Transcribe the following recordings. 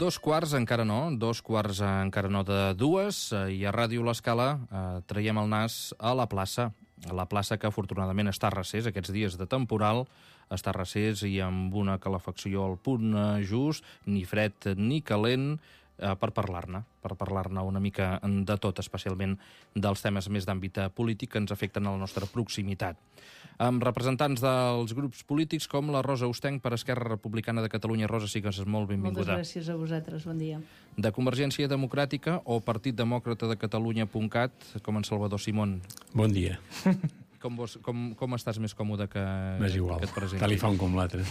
Dos quarts encara no de dues, i a Ràdio L'Escala traiem el nas a la plaça que afortunadament està a recés aquests dies de temporal, està a recés i amb una calefacció al punt just, ni fred ni calent, per parlar-ne una mica de tot, especialment dels temes més d'àmbit polític que ens afecten a la nostra proximitat. Amb representants dels grups polítics com la Rosa Ostenc per Esquerra Republicana de Catalunya. Rosa, sigues molt benvinguda. Moltes gràcies a vosaltres, bon dia. De Convergència Democràtica o Partit Demòcrata de Catalunya.cat, com en Salvador Simón. Bon dia. Com estàs més còmode que igual, et presenti? tal i fa un com l'altre.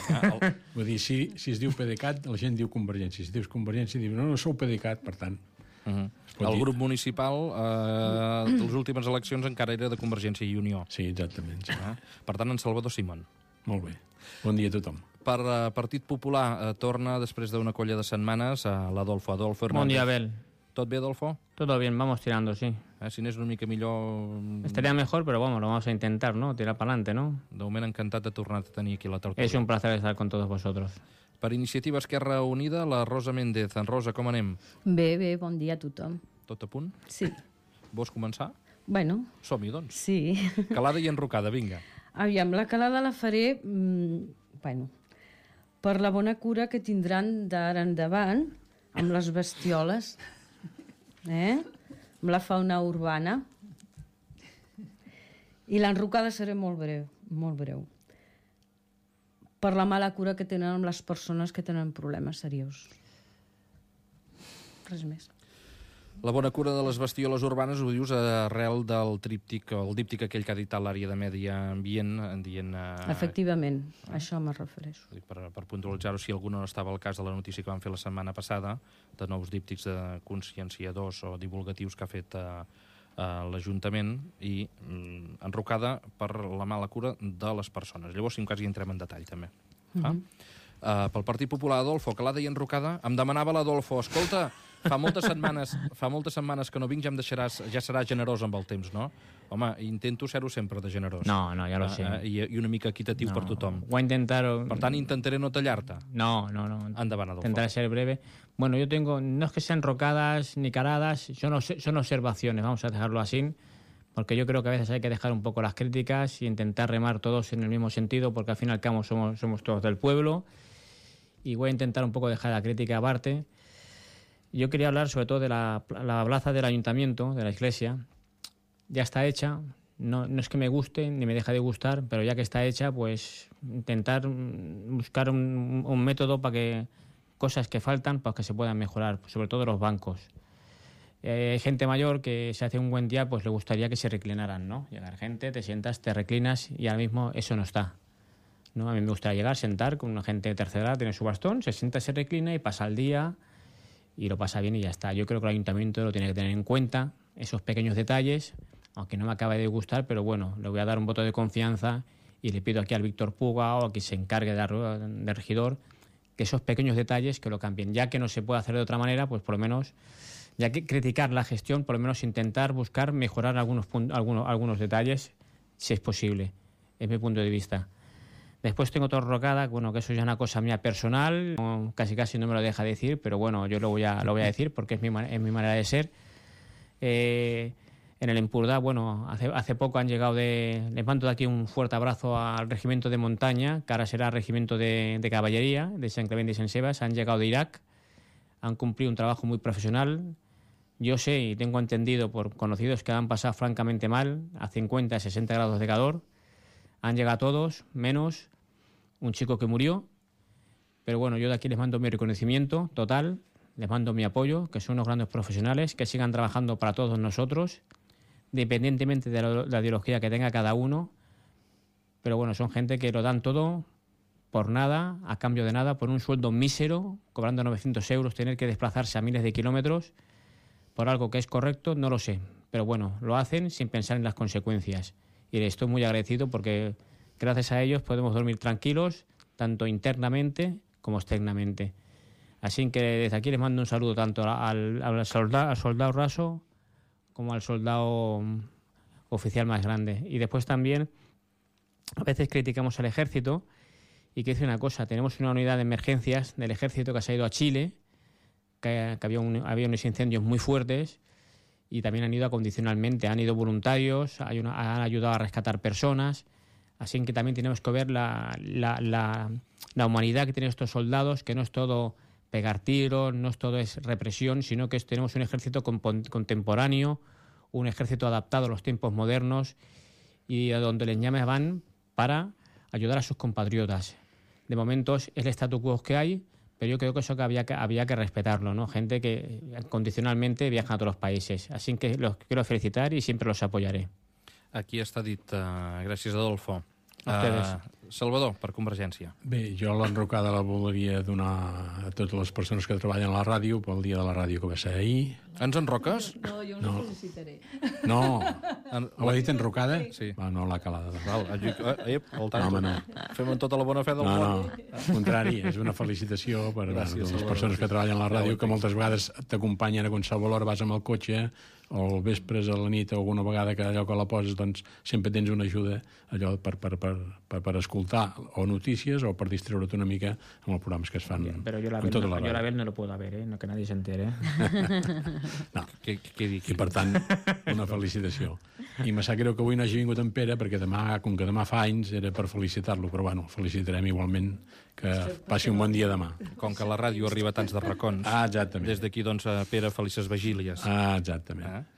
Vull dir, si es diu PDeCAT, la gent diu Convergència. Si dius Convergència, diu no sou PDeCAT, per tant. El grup municipal, de les últimes eleccions, encara era de Convergència i Unió. Sí, exactament. Sí. Per tant, en Salvador Simón. Molt bé. Bon dia a tothom. Per Partit Popular, torna després d'una colla de setmanes l'Adolfo Hernández. Bon dia, Abel. ¿Tot bé, Adolfo? Todo bien, vamos tirando, sí. Si n'és una mica millor... Estaría mejor, pero vamos, lo vamos a intentar, ¿no? Tirar para adelante, ¿no? De moment encantat de tornar a tenir aquí la tertúlia. Es un placer estar con todos vosotros. Per Iniciativa Esquerra Unida, la Rosa Méndez. En Rosa, com anem? Bé, bon dia a tothom. Tot a punt? Sí. Vols començar? Bueno. Som-hi, doncs. Sí. Calada i enrocada, vinga. Aviam, la calada la faré, per la bona cura que tindran d'ara endavant amb les bestioles, amb la fauna urbana. I l'enrocada seré molt breu. Per la mala cura que tenen amb les persones que tenen problemes seriosos. Res més. La bona cura de les bestioles urbanes ho dius arrel del tríptic, el díptic aquell que ha dit l'àrea de Medi Ambient, dient... Efectivament, a això me refereixo. Per puntualitzar-ho, si algú no estava al cas de la notícia que vam fer la setmana passada, de nous díptics de conscienciadors o divulgatius que ha fet l'Ajuntament, i enrocada per la mala cura de les persones. Llavors, si en cas, hi entrem en detall, també. Pel Partit Popular, Adolfo, calada i enrocada. Em demanava l'Adolfo, escolta, fa moltes setmanes que no vinc, ja seràs generós amb el temps, no? Home, intento ser-ho sempre de generós. No, ja lo sé. I una mica equitatiu per tothom. Voy a intentar... Per tant, intentaré no tallar-te. No. Endavant, Adolfo. Intentaré ser breve. Bueno, yo tengo, no es que sean rocadas ni caladas, son observaciones, vamos a dejarlo así, porque yo creo que a veces hay que dejar un poco las críticas y intentar remar todos en el mismo sentido, porque al fin y al cabo somos todos del pueblo, y voy a intentar un poco dejar la crítica aparte. Yo quería hablar sobre todo de la plaza del ayuntamiento, de la iglesia. Ya está hecha, no es que me guste ni me deja de gustar, pero ya que está hecha, pues intentar buscar un método para que cosas que faltan, para que se puedan mejorar, sobre todo los bancos. Hay gente mayor que se hace un buen día, pues le gustaría que se reclinaran, ¿no? Llegar gente, te sientas, te reclinas y ahora mismo eso no está, ¿no? A mí me gustaría llegar, sentar con una gente de tercera edad, tiene su bastón, se sienta, se reclina y pasa el día y lo pasa bien y ya está. Yo creo que el ayuntamiento lo tiene que tener en cuenta, esos pequeños detalles, aunque no me acabe de gustar, pero bueno, le voy a dar un voto de confianza y le pido aquí al Víctor Puga o a quien se encargue de regidor que esos pequeños detalles que lo cambien. Ya que no se puede hacer de otra manera, pues por lo menos, ya que criticar la gestión, por lo menos intentar buscar mejorar algunos detalles, si es posible. Es mi punto de vista. Después tengo otra rocada, bueno, que eso ya es una cosa mía personal, casi no me lo deja decir, pero bueno, yo lo voy a decir porque es mi manera de ser. En el Empurdá, bueno, hace poco han llegado les mando de aquí un fuerte abrazo al regimiento de montaña, que ahora será regimiento de caballería, de Sant Clement y Sant Sebas, han llegado de Irak, han cumplido un trabajo muy profesional. Yo sé y tengo entendido por conocidos que han pasado francamente mal, a 50, 60 grados de calor. Han llegado todos, menos un chico que murió. Pero bueno, yo de aquí les mando mi reconocimiento total, les mando mi apoyo, que son unos grandes profesionales, que sigan trabajando para todos nosotros, independientemente de la ideología que tenga cada uno. Pero bueno, son gente que lo dan todo por nada, a cambio de nada, por un sueldo mísero, cobrando 900 euros, tener que desplazarse a miles de kilómetros por algo que es correcto, no lo sé. Pero bueno, lo hacen sin pensar en las consecuencias. Y les estoy muy agradecido porque gracias a ellos podemos dormir tranquilos, tanto internamente como externamente. Así que desde aquí les mando un saludo tanto al soldado raso como al soldado oficial más grande. Y después también, a veces criticamos al ejército, y que dice una cosa: tenemos una unidad de emergencias del ejército que se ha ido a Chile, que había unos incendios muy fuertes, y también han ido acondicionalmente, han ido voluntarios, han ayudado a rescatar personas. Así que también tenemos que ver la humanidad que tienen estos soldados, que no es todo pegar tiros, no es todo es represión, sino que tenemos un ejército contemporáneo, un ejército adaptado a los tiempos modernos, y a donde les llames van para ayudar a sus compatriotas. De momento es el statu quo que hay, pero yo creo que eso que había que respetarlo, ¿no? Gente que condicionalmente viaja a otros países. Así que los quiero felicitar y siempre los apoyaré. Aquí està dit. Gràcies, Adolfo. Salvador, per Convergència. Bé, jo l'enrocada la voldria donar a totes les persones que treballen a la ràdio pel dia de la ràdio que va ser ahir. Ens enroques? No, jo us ho felicitaré. No. Ho ha dit enrocada? Sí. No l'ha calada. Val, al tanto. No. Fem amb tota la bona fe del món. No, al contrari, és una felicitació per les persones que treballen a la ràdio, que moltes vegades t'acompanyen a qualsevol hora, vas amb el cotxe, o al vespre, a la nit, o alguna vegada que allò que la poses, doncs sempre tens una ajuda allò per escoltar o notícies o per distreure't una mica amb els programes que es fan. Però jo la Bel no lo puedo ver, no que nadie se entere. No. I per tant, una felicitació. I me sap greu que avui no hagi vingut en Pere, perquè demà, com que demà fa anys, era per felicitar-lo, però bueno, felicitarem igualment, que passi un bon dia demà. Com que la ràdio arriba a tants de racons. Exactament. Des d'aquí, doncs, Pere, felices vigílies. Exactament.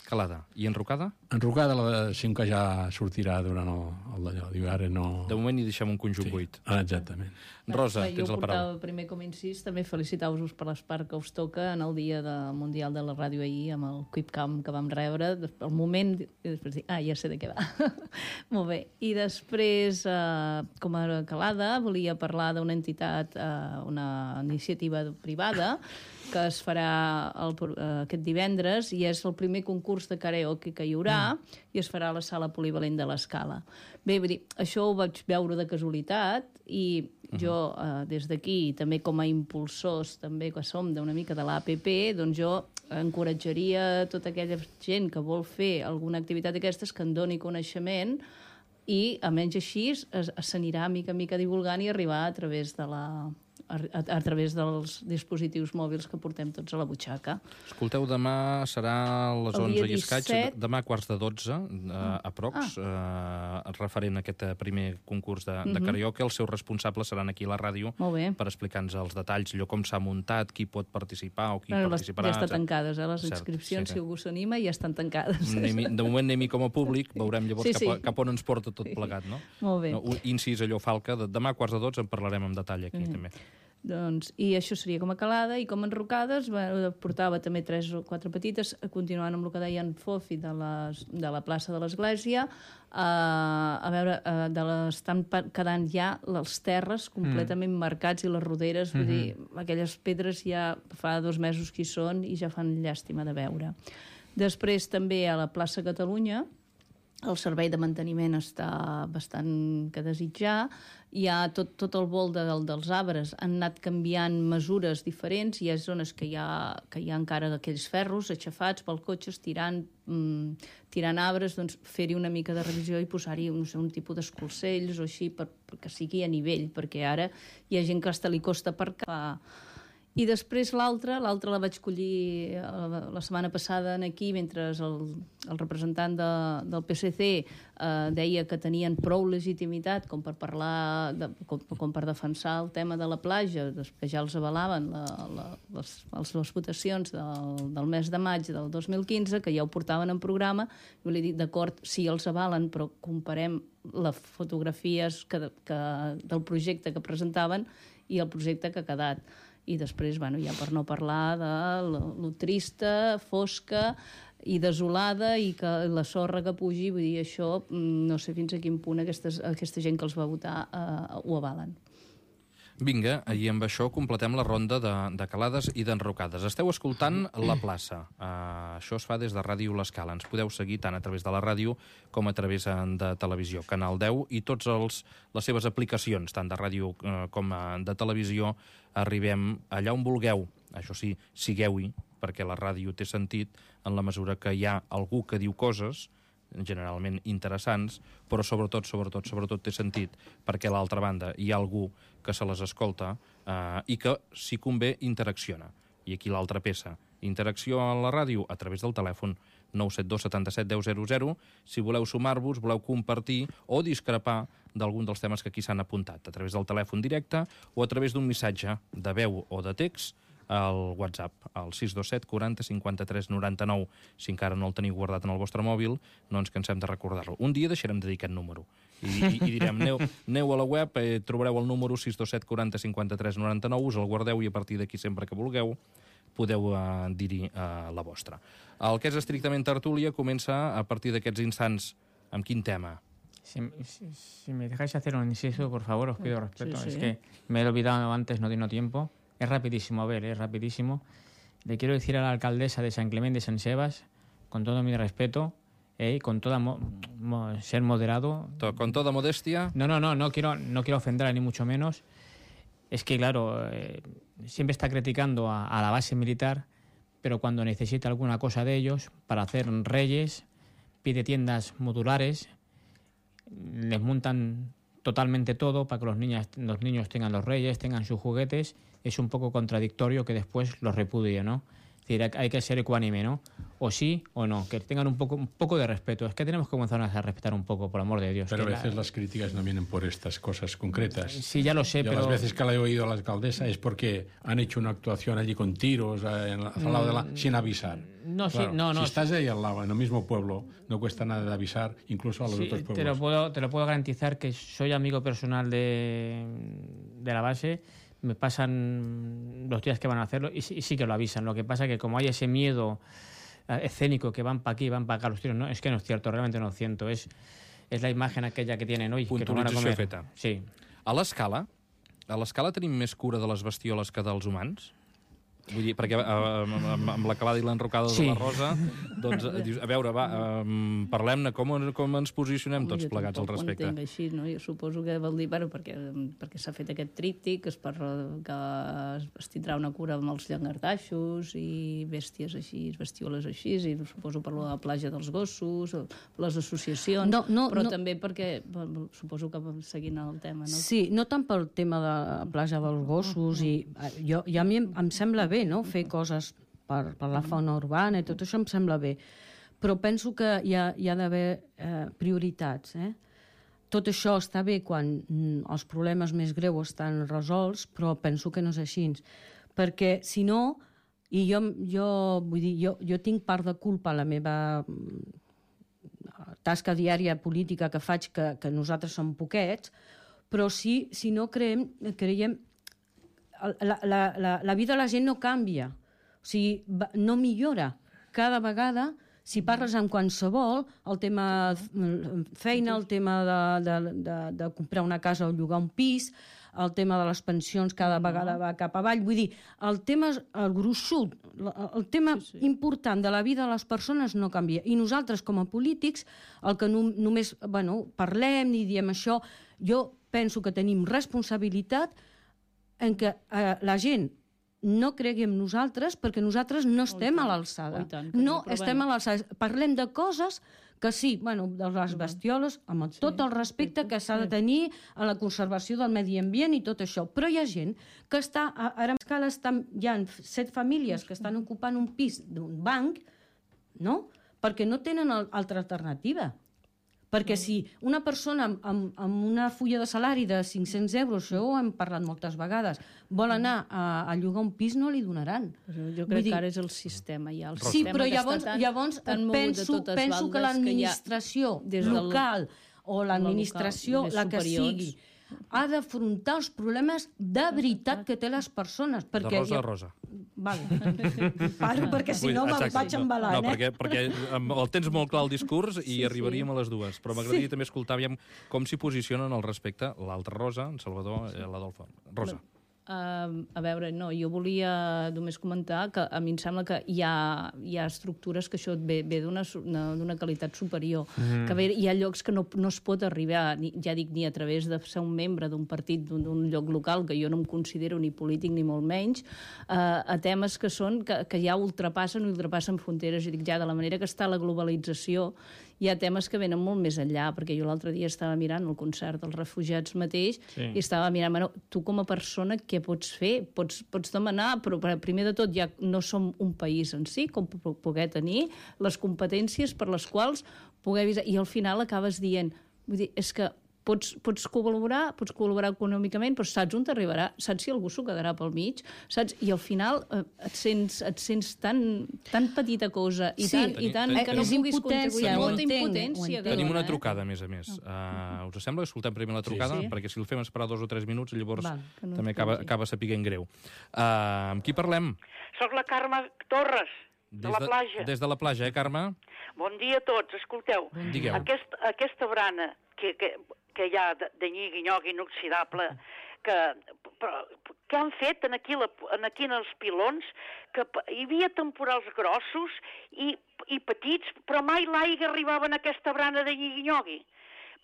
Calada. I enrocada? Enrocada, sí que ja sortirà durant el d'allò. Diu, ara no... De moment hi deixem un conjunt buit. Exactament. Rosa, tens la paraula. Jo primer, com incís, també felicitar-vos per l'espart que us toca en el dia mundial de la ràdio ahir, amb el Quipcam que vam rebre. El moment, i després dir, ja sé de què va. Molt bé. I després, com a calada, volia parlar d'una entitat, una iniciativa privada, que es farà aquest divendres, i és el primer concurs de karaoke que hi haurà, i es farà a la sala polivalent de l'Escala. Bé, vull dir, això ho vaig veure de casualitat, i jo, des d'aquí, també com a impulsors, també que som d'una mica de l'APP, doncs jo encoratjaria tota aquella gent que vol fer alguna activitat d'aquestes que en doni coneixement, i, almenys així, s'anirà mica en mica divulgant i arribar a través dels dispositius mòbils que portem tots a la butxaca. Escolteu, demà serà a les 11 i escaig, demà a quarts de 12, aprox, referent a aquest primer concurs de karaoke. Els seus responsables seran aquí a la ràdio per explicar-nos els detalls, allò com s'ha muntat, qui pot participar o qui participarà. Ja estan tancades, les inscripcions, si algú s'anima, ja estan tancades. De moment anem-hi com a públic, veurem llavors cap on ens porta tot plegat, no? Molt bé. Incís, allò, Falca, demà a quarts de 12 en parlarem amb detall aquí també. Doncs, i això seria com a calada, i com a enrocades portava també 3 o 4 petites, continuant amb el que deia en Fofi de la plaça de l'Església. A veure, estan quedant ja les terres completament marcats i les roderes, vull dir, aquelles pedres ja fa 2 mesos que hi són i ja fan llàstima de veure. Després també a la plaça Catalunya el servei de manteniment està bastant que desitjar. Hi ha tot el vol dels arbres, han anat canviant mesures diferents, hi ha zones que hi ha encara aquells ferros aixafats pel cotxe, tirant arbres, doncs fer-hi una mica de revisió i posar-hi un tipus d'escolcells o així perquè sigui a nivell, perquè ara hi ha gent que hasta li costa aparcar. I després l'altra la vaig collir la setmana passada aquí, mentre el representant del PSC deia que tenien prou legitimitat com per parlar, com per defensar el tema de la platja, que ja els avalaven les votacions del mes de maig del 2015, que ja ho portaven en programa, i li he dit, d'acord, sí, els avalen, però comparem les fotografies del projecte que presentaven i el projecte que ha quedat. I després, ja per no parlar de lo trista, fosca i desolada, i que la sorra que pugi, vull dir, això no sé fins a quin punt aquesta gent que els va votar ho avalen. Vinga, i amb això completem la ronda de calades i d'enrocades. Esteu escoltant La Plaça. Això es fa des de Ràdio L'Escala. Ens podeu seguir tant a través de la ràdio com a través de televisió. Canal 10 i totes les seves aplicacions, tant de ràdio com de televisió, arribem allà on vulgueu. Això sí, sigueu-hi, perquè la ràdio té sentit en la mesura que hi ha algú que diu coses generalment interessants, però sobretot té sentit perquè a l'altra banda hi ha algú que se les escolta i que, si convé, interacciona. I aquí l'altra peça. Interacció a la ràdio a través del telèfon 972 77 10 00, si voleu sumar-vos, voleu compartir o discrepar d'algun dels temes que aquí s'han apuntat, a través del telèfon directe o a través d'un missatge de veu o de text al WhatsApp, al 627 40 53 99. Si encara no el teniu guardat en el vostre mòbil, no ens cansem de recordar-lo. Un dia deixarem de dir aquest número i direm, aneu a la web, trobareu el número 627 40 53 99, us el guardeu i a partir d'aquí sempre que vulgueu podeu dir-hi la vostra. El que és estrictament tertúlia comença a partir d'aquests instants. Amb quin tema? Si me dejáis hacer un inciso, por favor, os pido respeto. Sí. Es que me he olvidado antes, no tengo tiempo. Es rapidísimo, a ver, es rapidísimo. Le quiero decir a la alcaldesa de San Clemente de San Sebas, con todo mi respeto, y con toda ser moderado. Con toda modestia. No quiero ofenderla ni mucho menos. Es que, claro, siempre está criticando a la base militar, pero cuando necesita alguna cosa de ellos para hacer reyes, pide tiendas modulares, les montan totalmente todo para que los niños tengan los reyes, tengan sus juguetes. Es un poco contradictorio que después los repudie, ¿no? Es decir, hay que ser ecuánime, ¿no? O sí o no, que tengan un poco de respeto. Es que tenemos que comenzar a respetar un poco, por amor de Dios. Pero a veces las críticas no vienen por estas cosas concretas. Sí, ya lo sé, pero... Las veces que la he oído a la alcaldesa es porque han hecho una actuación allí con tiros al lado sin avisar. No, claro, sí, no. Si estás ahí al lado, en el mismo pueblo, no cuesta nada de avisar, incluso a los otros pueblos. Te lo puedo garantizar que soy amigo personal de la base. Me pasan los días que van a hacerlo y sí que lo avisan. Lo que pasa es que como hay ese miedo escénico que van para aquí, van para acá los tiros, no, es que no es cierto, realmente no es cierto. Es la imagen aquella que tienen hoy, que van a comer. Feta. Sí. A l'escala tenim més cura de les bestioles que dels humans? Vull dir, perquè amb la calada i l'enrocada de la Rosa, doncs, dius, a veure, parlem-ne, com ens posicionem tots plegats al respecte? Jo tampoc ho entenc així, no? Jo suposo que vol dir, bueno, perquè s'ha fet aquest tríptic, que es tindrà una cura amb els llangardaixos i bèsties així, bestioles així, i suposo per la platja dels gossos, les associacions, però també perquè, suposo que seguint el tema, no? Sí, no tant pel tema de la platja dels gossos, i a mi em sembla bé, no? Fer coses per la fauna urbana i tot això em sembla bé, però penso que hi ha d'haver prioritats. Tot això està bé quan els problemes més greus estan resolts, però penso que no és així, perquè si no, i jo tinc part de culpa a la meva tasca diària política que faig, que nosaltres som poquets, però si no creiem la vida de la gent no canvia, o sigui, no millora. Cada vegada, si parles amb qualsevol, el tema feina, el tema de comprar una casa o llogar un pis, el tema de les pensions cada vegada va cap avall. Vull dir, el tema, el gruixut, el tema important de la vida de les persones no canvia. I nosaltres, com a polítics, el que només parlem i diem això, jo penso que tenim responsabilitat en què la gent no cregui en nosaltres perquè nosaltres no estem a l'alçada. No estem a l'alçada. Parlem de coses que sí, de les bestioles, amb tot el respecte que s'ha de tenir a la conservació del medi ambient i tot això. Però hi ha gent que està, ara a escala hi ha 7 famílies que estan ocupant un pis d'un banc, no? Perquè no tenen altra alternativa. Perquè si una persona amb una fulla de salari de 500 euros, això ho hem parlat moltes vegades, vol anar a llogar un pis, no li donaran. Jo crec que ara és el sistema. Sí, però llavors penso que l'administració local o l'administració, la que sigui, ha d'afrontar els problemes de veritat que té les persones. De rosa a rosa. Vale. Paro, perquè si no me'l vaig embalant. No, perquè el tens molt clar el discurs i arribaríem a les dues. Però m'agradaria també escoltar com s'hi posicionen al respecte l'altra Rosa, en Salvador i l'Adolfo. Rosa. A veure, no, jo volia només comentar que a mi em sembla que hi ha estructures que això ve d'una qualitat superior, que hi ha llocs que no es pot arribar, ja dic, ni a través de ser un membre d'un partit d'un lloc local, que jo no em considero ni polític ni molt menys, a temes que ja ultrapassen fronteres, i dic ja, de la manera que està la globalització, hi ha temes que venen molt més enllà, perquè jo l'altre dia estava mirant el concert dels refugiats mateix i estava mirant, bueno, tu com a persona què pots fer? Pots demanar, però primer de tot ja no som un país en si, com poder tenir les competències per les quals poder avisar, i al final acabes dient, vull dir, és que pots col·laborar econòmicament, però saps on t'arribarà, saps si algú s'ho quedarà pel mig, saps? I al final et sents tan petita cosa i tant que no puguis contribuir. Molta impotència. Tenim una trucada, a més. Us sembla que escoltem primer la trucada? Perquè si el fem esperar 2 o 3 minuts, llavors també acaba sapiguent greu. Amb qui parlem? Soc la Carme Torres, de la Plaja. Des de la Plaja, Carme? Bon dia a tots. Escolteu, aquesta brana que hi ha de nyigui-nyog inoxidable, que han fet aquí en els pilons, que hi havia temporals grossos i petits, però mai l'aigua arribava en aquesta brana de nyigui-nyogui.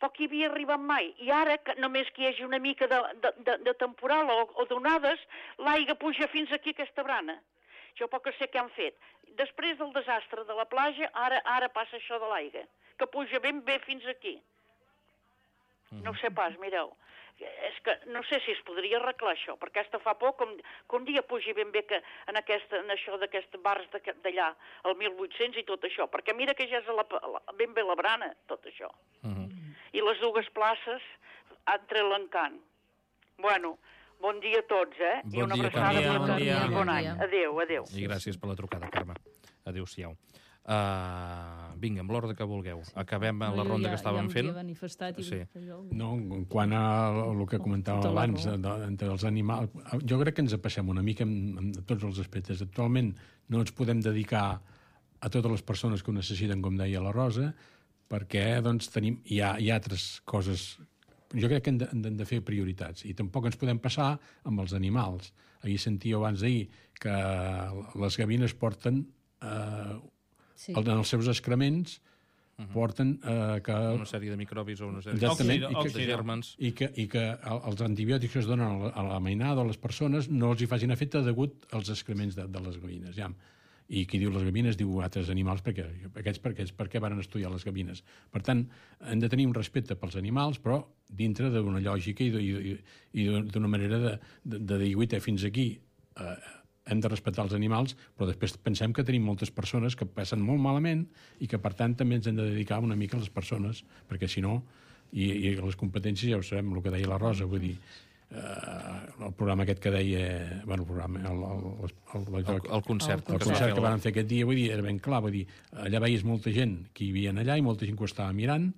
Poc hi havia arribat mai. I ara, només que hi hagi una mica de temporal o d'onades, l'aigua puja fins aquí aquesta brana. Jo poc sé què han fet. Després del desastre de la Plaja, ara passa això de l'aigua, que puja ben bé fins aquí. No ho sé pas, mireu. És que no sé si es podria arreglar això, perquè aquesta fa por que un dia pugi ben bé en això d'aquests bars d'allà, el 1800 i tot això, perquè mira que ja és ben bé la brana, tot això. I les dues places entre l'encant. Bueno, bon dia a tots, Bon I una dia, abraçada Carme. per tots i bon any. Adéu. I gràcies per la trucada, Carme. Adéu-siau. Vinga, amb l'ordre que vulgueu. Acabem la ronda que estàvem fent. No, quant a el que comentàvem abans, entre els animals, jo crec que ens passem una mica en tots els aspectes. Actualment no ens podem dedicar a totes les persones que ho necessiten, com deia la Rosa, perquè doncs, hi ha altres coses. Jo crec que hem de fer prioritats, i tampoc ens podem passar amb els animals. Ahir sentíeu abans d'ahir que les gavines porten en els seus excrements porten una sèrie de microbis o una sèrie de gèrmens. I que els antibiòtics que es donen a la mainada o a les persones no els hi facin efecte degut als excrements de les gavines. I qui diu les gavines diu altres animals, perquè per què van estudiar les gavines. Per tant, hem de tenir un respecte pels animals, però dintre d'una lògica i d'una manera de dir, fins aquí hem de respectar els animals, però després pensem que tenim moltes persones que passen molt malament i que, per tant, també ens hem de dedicar una mica a les persones, perquè si no, i les competències ja ho sabem, el que deia la Rosa, vull dir, el programa aquest que deia, bueno, el programa, el concert que van fer aquest dia, vull dir, era ben clar, vull dir, allà veies molta gent que hi havia allà i molta gent que ho estava mirant,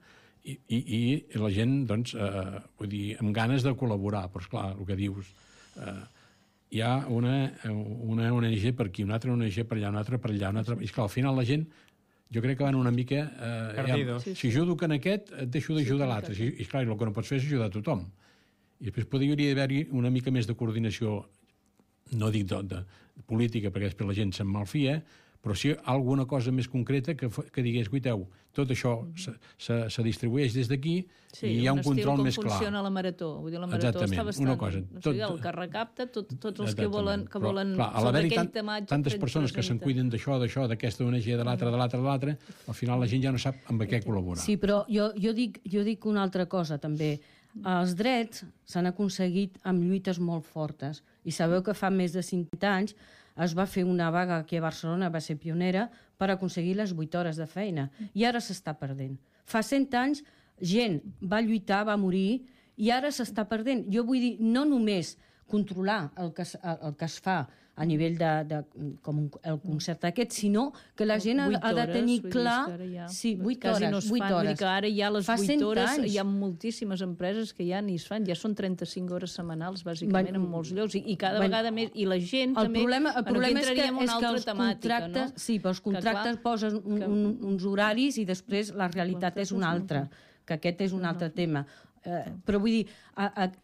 i la gent, doncs, vull dir, amb ganes de col·laborar, però esclar, el que dius, hi ha una ONG per aquí, una altra ONG per allà, una altra per allà, una altra... I esclar, al final la gent, jo crec que van una mica... si ajudo que en aquest, et deixo d'ajudar l'altre. I esclar, el que no pots fer és ajudar a tothom. I després podria haver-hi una mica més de coordinació, no dic de política, perquè després la gent se'n malfia, però sí alguna cosa més concreta que digués, guiteu, tot això se distribueix des d'aquí i hi ha un control més clar. Com funciona la Marató. Vull dir, la Marató està bastant... El que recapta, tots els que volen sobre aquell tematge... Tantes persones que se'n cuiden d'això, d'aquesta ONG, de l'altra, al final la gent ja no sap amb què col·laborar. Sí, però jo dic una altra cosa, també. Els drets s'han aconseguit amb lluites molt fortes. I sabeu que fa més de 50 anys es va fer una vaga aquí a Barcelona, va ser pionera, per aconseguir les 8 hores de feina. I ara s'està perdent. Fa 100 anys gent va lluitar, va morir, i ara s'està perdent. Jo vull dir, no només controlar el que es fa a nivell com el concert aquest, sinó que la gent ha de tenir clar... Sí, 8 hores. Vull dir que ara ja les 8 hores anys. hi ha moltíssimes empreses que ja ni es fan, ja són 35 hores setmanals, bàsicament, en molts llocs, i cada vegada més, i la gent també... El problema és que els temàtica, contractes, no? Sí, però els contractes posen uns horaris i després la realitat és una altra, que aquest és un altre tema. Però vull dir,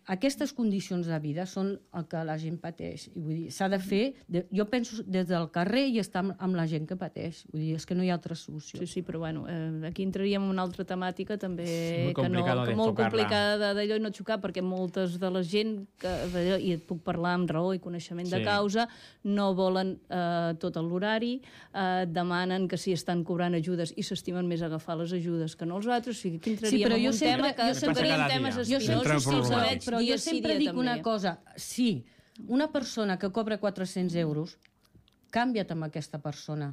aquestes condicions de vida són el que la gent pateix. I vull dir, s'ha de fer, jo penso des del carrer i estar amb la gent que pateix. Vull dir, és que no hi ha altra solució. Sí, però bueno, aquí entraríem en una altra temàtica també que molt complicada d'allò i no xocar, perquè moltes de la gent, i et puc parlar amb raó i coneixement de causa, no volen tot l'horari, demanen que si estan cobrant ajudes i s'estimen més agafar les ajudes que no els altres. O sigui, aquí entraríem en un tema que sempre temes espinosos, però jo sempre dic una cosa, si una persona que cobra 400 euros, canvia't amb aquesta persona.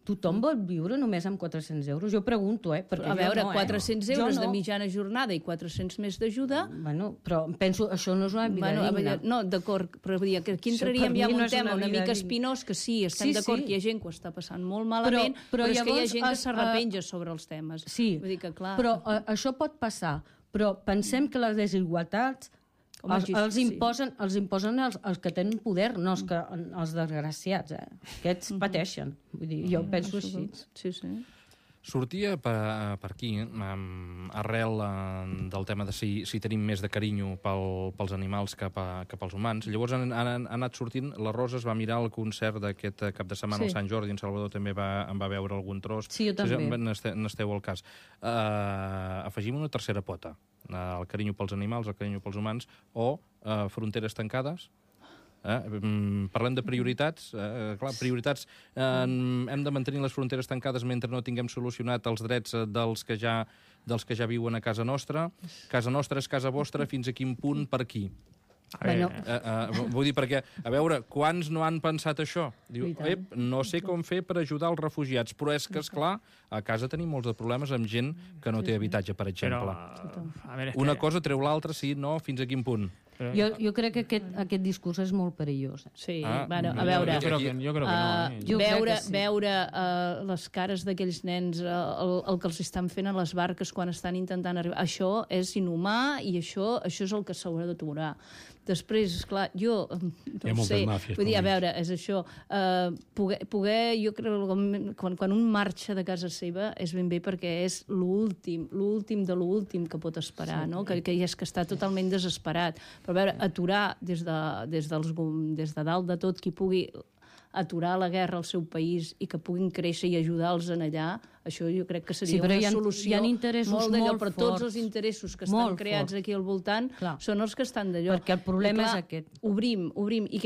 Tothom vol viure només amb 400 euros? Jo pregunto, perquè a veure, 400 euros de mitjana jornada i 400 més d'ajuda... Bueno, però penso, això no és una vida digna. No, d'acord, però vull dir que aquí entraríem ja en un tema una mica espinós, que sí, estem d'acord que hi ha gent que ho està passant molt malament, però és que hi ha gent que s'arrepenja sobre els temes. Sí, però això pot passar, però pensem que les desigualtats els imposen els que tenen poder, no els desgraciats. Aquests pateixen. Vull dir, jo penso així. Sí, sí. Sortia per aquí, arrel del tema de si tenim més de carinyo pels animals que pels humans. Llavors han anat sortint, la Rosa es va mirar el concert d'aquest cap de setmana al Sant Jordi, en Salvador també en va veure algun tros. Sí, jo també. N'esteu al cas. Afegim una tercera pota, el carinyo pels animals, el carinyo pels humans, o fronteres tancades. Parlem de prioritats. Clar, prioritats. Hem de mantenir les fronteres tancades mentre no tinguem solucionat els drets dels que ja viuen a casa nostra. Casa nostra és casa vostra, fins a quin punt, per qui? Vull dir, perquè, a veure, quants no han pensat això? Diu, no sé com fer per ajudar els refugiats, però és que, esclar, a casa tenim molts de problemes amb gent que no té habitatge, per exemple. Una cosa treu l'altra, sí, no, fins a quin punt? Jo crec que aquest discurs és molt perillós. Sí, bueno, a veure... Jo crec que no. Veure les cares d'aquells nens, el que els estan fent a les barques quan estan intentant arribar, això és inhumà i això és el que s'haurà d'aturar. Després, esclar, jo no sé, vull dir, a veure, és això, poder, jo crec, quan un marxa de casa seva és ben bé perquè és l'últim de l'últim que pot esperar, no? Que és que està totalment desesperat. Però a veure, aturar des de dalt de tot qui pugui aturar la guerra al seu país i que puguin créixer i ajudar-los en allà, això jo crec que seria una solució molt d'allò, però tots els interessos que estan creats aquí al voltant són els que estan d'allò. Perquè el problema és aquest. Obrim, i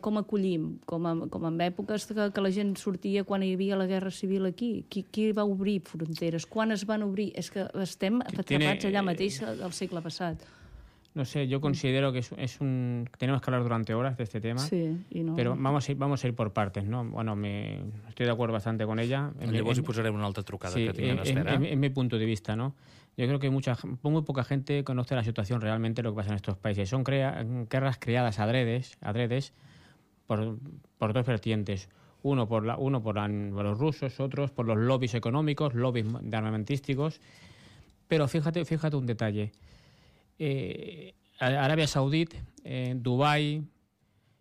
com acollim, com en èpoques que la gent sortia quan hi havia la guerra civil aquí. Qui va obrir fronteres? Quan es van obrir? És que estem atrapats allà mateix al segle passat. No sé, yo considero que tenemos que hablar durante horas de este tema, pero vamos a ir por partes, ¿no? Bueno, estoy de acuerdo bastante con ella. Llavors hi posarem una altra trucada que tinguem d'espera. En mi punto de vista, ¿no? Yo creo que muy poca gente conoce la situación realmente, lo que pasa en estos países. Son guerras creadas adredes por dos vertientes. Uno por los rusos, otros por los lobbies económicos, lobbies armamentísticos. Pero fíjate un detalle. Arabia Saudí, Dubái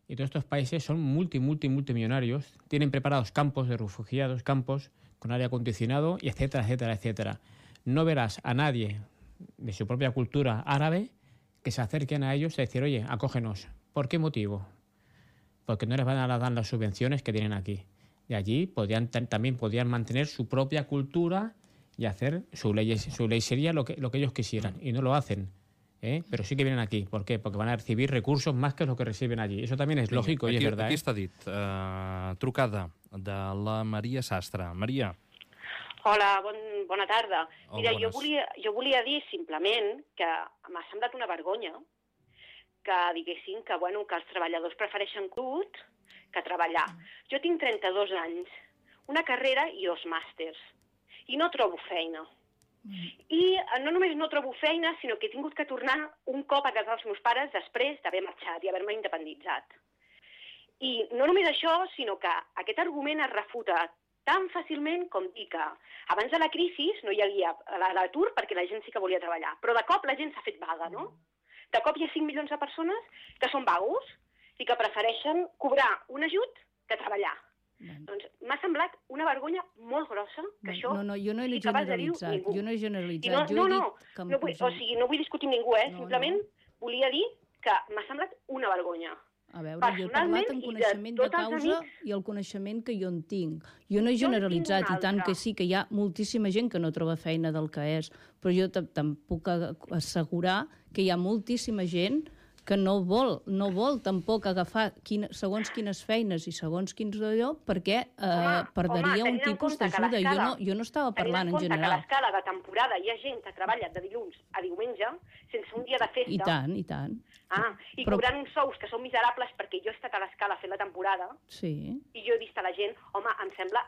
y todos estos países son multimillonarios, tienen preparados campos de refugiados, campos con aire acondicionado y etcétera. No verás a nadie de su propia cultura árabe que se acerquen a ellos y decir, oye, acógenos. ¿Por qué motivo? Porque no les van a dar las subvenciones que tienen aquí. Y allí también podían mantener su propia cultura y hacer su ley sería lo que ellos quisieran, y no lo hacen. Pero sí que vienen aquí. ¿Por qué? Porque van a recibir recursos más que lo que reciben allí. Eso también es lógico y es verdad. Aquí està dit. Trucada de la Maria Sastre. Maria. Hola, bona tarda. Mira, bones. jo volia dir simplement que m'ha semblat una vergonya que diguessin que els treballadors prefereixen crut que treballar. Jo tinc 32 anys, una carrera i 2 màsters, i no trobo feina. I no només no trobo feina, sinó que he tingut que tornar un cop a casa dels meus pares després d'haver marxat i haver-me independitzat. I no només això, sinó que aquest argument es refuta tan fàcilment com dir que abans de la crisi no hi havia l'atur perquè la gent sí que volia treballar, però de cop la gent s'ha fet vaga, no? De cop hi ha 5 milions de persones que són vagos i que prefereixen cobrar un ajut que treballar. Doncs m'ha semblat una vergonya molt grossa que això... No, jo no he sigui capaç de generalitzat. dir-ho ningú. Jo no he generalitzat. No, Jo he no, dit que no vull discutir amb ningú, simplement volia dir que m'ha semblat una vergonya. A veure, jo he parlat en coneixement de causa i el coneixement que jo en tinc. Jo no he generalitzat, i tant que sí, que hi ha moltíssima gent que no troba feina del que és, però jo te'n puc assegurar que hi ha moltíssima gent que no vol tampoc agafar segons quines feines i segons quins d'allò, perquè perdria un tipus d'ajuda. Jo no estava parlant en general. Que a l'escala de temporada hi ha gent que treballa de dilluns a diumenge, sense un dia de festa. I tant, i tant. Cobrant uns sous que són miserables perquè jo he estat a l'escala fent la temporada, sí. I jo he vist a la gent, home,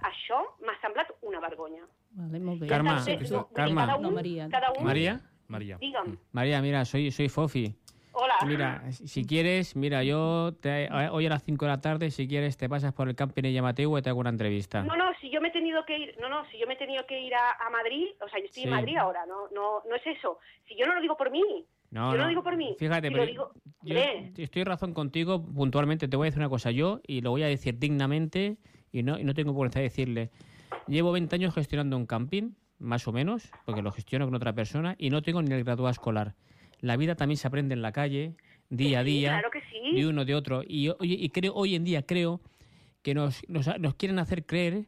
això m'ha semblat una vergonya. Vale, molt bé. Carme, María. Dígame. María, mira, soy Fofi. Hola. Mira, si quieres, hoy a las 5 de la tarde, si quieres, te pasas por el camping de Yamateu y te hago una entrevista. No, si yo me he tenido que ir, a Madrid, o sea, yo estoy en Madrid ahora, no es eso. Si yo no lo digo por mí, yo no lo digo por mí. Fíjate, pero yo estoy en razón contigo puntualmente, te voy a decir una cosa yo, y lo voy a decir dignamente, y no tengo por qué decirle. Llevo 20 años gestionando un camping, más o menos, porque lo gestiono con otra persona, y no tengo ni el graduado escolar. La vida también se aprende en la calle, día a día, claro que sí. De uno, de otro. Y hoy en día creo que nos quieren hacer creer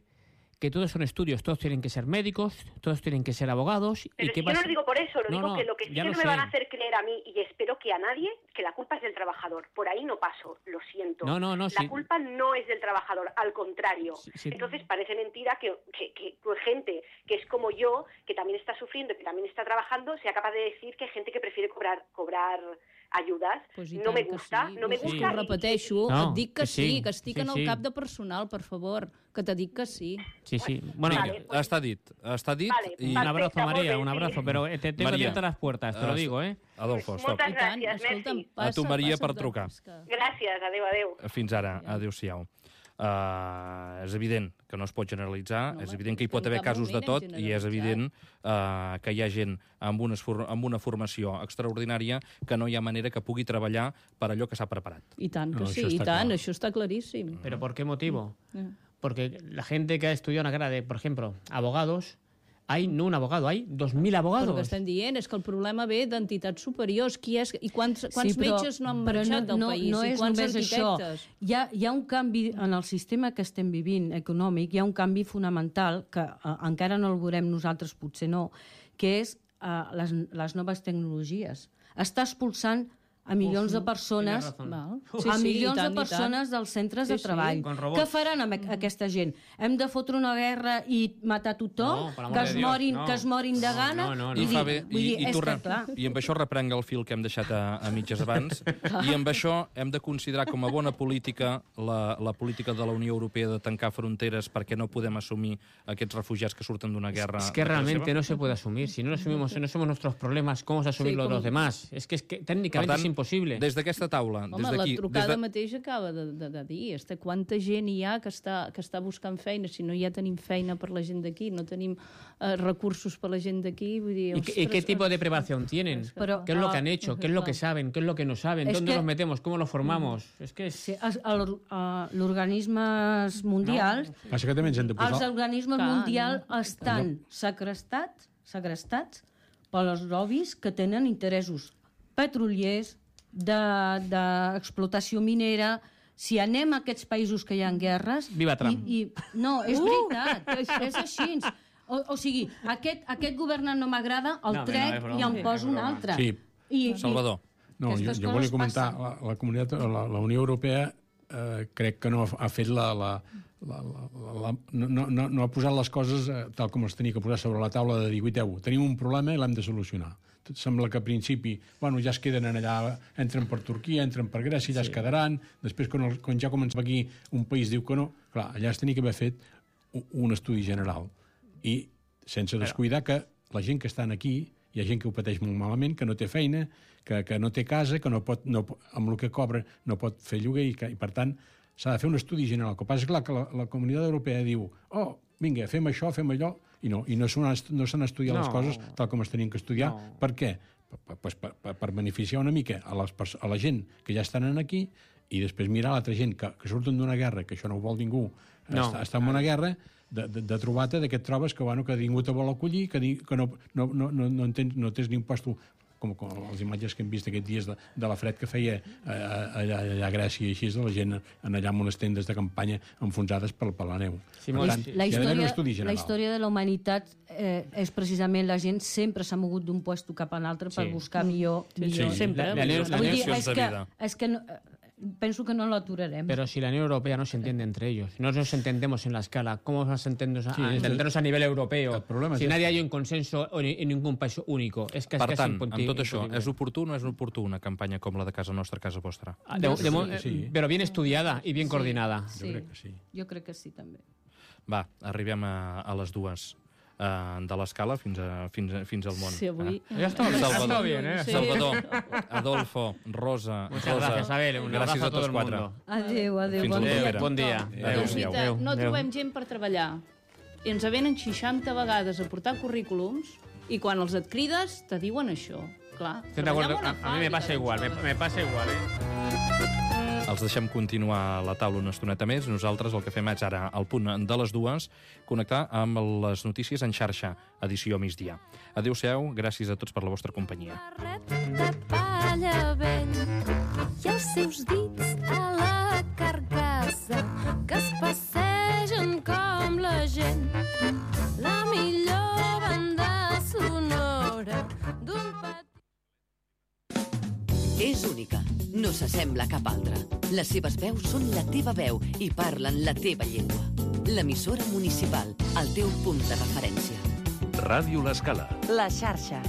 que todos son estudios, todos tienen que ser médicos, todos tienen que ser abogados. Pero ¿y qué yo pasa? no lo digo por eso, digo que lo que sí que no me van a hacer creer a mí, y espero que a nadie, que la culpa es del trabajador. Por ahí no paso, lo siento. La culpa no es del trabajador, al contrario. Entonces parece mentira que gente que es como yo, que también está sufriendo, que también está trabajando, sea capaz de decir que hay gente que prefiere cobrar ajudes. Pues no me gusta, sí. no me gusta. Ho repeteixo, et dic que sí, que estic en el cap de personal, per favor, que te dic que sí. Sí. Bueno, vale, està dit. Vale, y... Un abrazo, María, un abrazo, pero te tengo abiertas las puertas, te lo digo, ¿eh? Adolfo, stop. Moltes gràcies, merci. A tu, Maria, per trucar. Gràcies, adéu. Fins ara, adéu-siau. És evident que no es pot generalitzar, és evident que hi pot haver casos de tot i és evident que hi ha gent amb una formació extraordinària que no hi ha manera que pugui treballar per allò que s'ha preparat. I tant que sí, això està claríssim. ¿Pero por qué motivo? Porque la gente que ha estudiado una carrera de, por ejemplo, abogados, hay no un abogado, hay 2.000 abogados. Però el que estem dient és que el problema ve d'entitats superiors. Quants metges no han marxat del país? No és només això. Hi ha un canvi en el sistema que estem vivint econòmic, hi ha un canvi fonamental que encara no el veurem nosaltres, potser no, que és les noves tecnologies. Està expulsant a milions de persones dels centres de treball. Què faran amb aquesta gent? Hem de fotre una guerra i matar tothom? Que es morin de gana? I amb això reprenc el fil que hem deixat a mitges abans, i amb això hem de considerar com a bona política la política de la Unió Europea de tancar fronteres perquè no podem assumir aquests refugiats que surten d'una guerra. Es que realmente no se puede asumir. Si no asumimos, no somos nuestros problemas, ¿cómo vamos a asumir los demás? Es que técnicamente es imposible. Des d'aquesta taula, des d'aquí... Home, la trucada mateix acaba de dir quanta gent hi ha que està buscant feina. Si no ja tenim feina per la gent d'aquí, no tenim recursos per la gent d'aquí. ¿Y qué tipo de preparación tienen? ¿Qué es lo que han hecho? ¿Qué es lo que saben? ¿Qué es lo que no saben? ¿Dónde los metemos? ¿Cómo los formamos? És que l'organismes mundials... Passa que també ens hem de posar... Els organismes mundials estan segrestats pels lobbies que tenen interessos petroliers, d'explotació minera. Si anem a aquests països que hi ha guerres... Viva Trump. No, és veritat, és així. O sigui, aquest governant no m'agrada, el trec i em poso un altre. Salvador. No, jo volia comentar, la Unió Europea crec que no ha fet no ha posat les coses tal com les tenia que posar sobre la taula de dir, tenim un problema i l'hem de solucionar. Sembla que al principi ja es queden allà, entren per Turquia, entren per Grècia, ja es quedaran, després quan ja comença aquí un país diu que no, clar, allà es tenia que haver fet un estudi general i sense descuidar que la gent que estan aquí, hi ha gent que ho pateix molt malament, que no té feina, que no té casa, que amb el que cobra no pot fer lloguer i per tant s'ha de fer un estudi general. El que passa és clar que la Comunitat Europea diu vinga, fem això, fem allò, i no s'han estudiat les coses tal com es tenien que estudiar. Per què? Per beneficiar una mica a la gent que ja estan aquí i després mirar l'altra gent que surten d'una guerra, que això no ho vol ningú, està en una guerra, de trobar-te que et trobes que ningú te vol acollir, que no tens ni un puesto, com les imatges que hem vist aquests dies de la fred que feia allà a Grècia i així, de la gent allà amb unes tendes de campanya enfonsades per la neu. La història de la humanitat és precisament la gent sempre s'ha mogut d'un lloc cap a un altre per buscar millor. Sempre. És que penso que no lo aturarem. Pero si la Unión Europea no se entiende entre ellos, no nos entendemos en la escala, ¿cómo vamos a entendernos a nivel europeo? Si nadie hay un consenso en ningún país único. Per tant, amb tot això, és oportú o no és oportú una campanya com la de Casa Nostra, Casa Vostra? Però bien estudiada i bien coordinada. Jo crec que sí, també. Va, arribem a les dues. De l'escala fins al món. Sí, avui... Ja està bien, ¿eh? Salvador, Adolfo, Rosa... Muchas gracias, Abel. Un abrazo a todo el mundo. Adéu. Bon dia. Adéu. No trobem gent per treballar. I ens venen 60 vegades a portar currículums i quan els et crides te diuen això. Clar, a mi me pasa igual, me pasa igual, Els deixem continuar a la taula una estoneta més. Nosaltres el que fem és ara, al punt de les 2, connectar amb les notícies en xarxa, edició migdia. Adéu-siau, gràcies a tots per la vostra companyia. De palla vell i els seus dits a la carcassa que es passegen com la gent. La millor banda sonora d'un petit... És única, no s'assembla a cap altra. Les seves veus són la teva veu i parlen la teva llengua. L'emissora municipal, el teu punt de referència. Ràdio L'Escala. La xarxa.